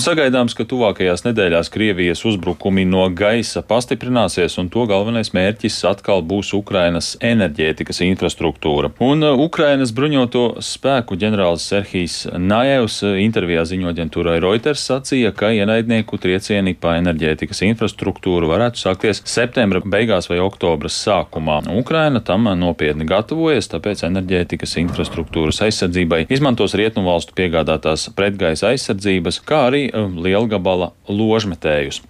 Sagaidāms, ka tuvākajās nedēļās Krievijas uzbrukumi no gaisa pastiprināsies, un to galvenais mērķis atkal būs Ukrainas enerģētikas infrastruktūra. Un Ukrainas bruņoto spēku ģenerālis Serhijs Najevs intervijā ziņu aģentūrai Reuters sacīja, ka ienaidnieku triecieni pa enerģētikas infrastruktūru varētu sākties septembra beigās vai oktobra sākumā. Ukraina tam nopietni gatavojas, tāpēc enerģētikas infrastruktūras aizsardzībai izmantos rietumu valstu piegādātās pretgaisa aizsardzības, kā arī lielgabala ložmetējus.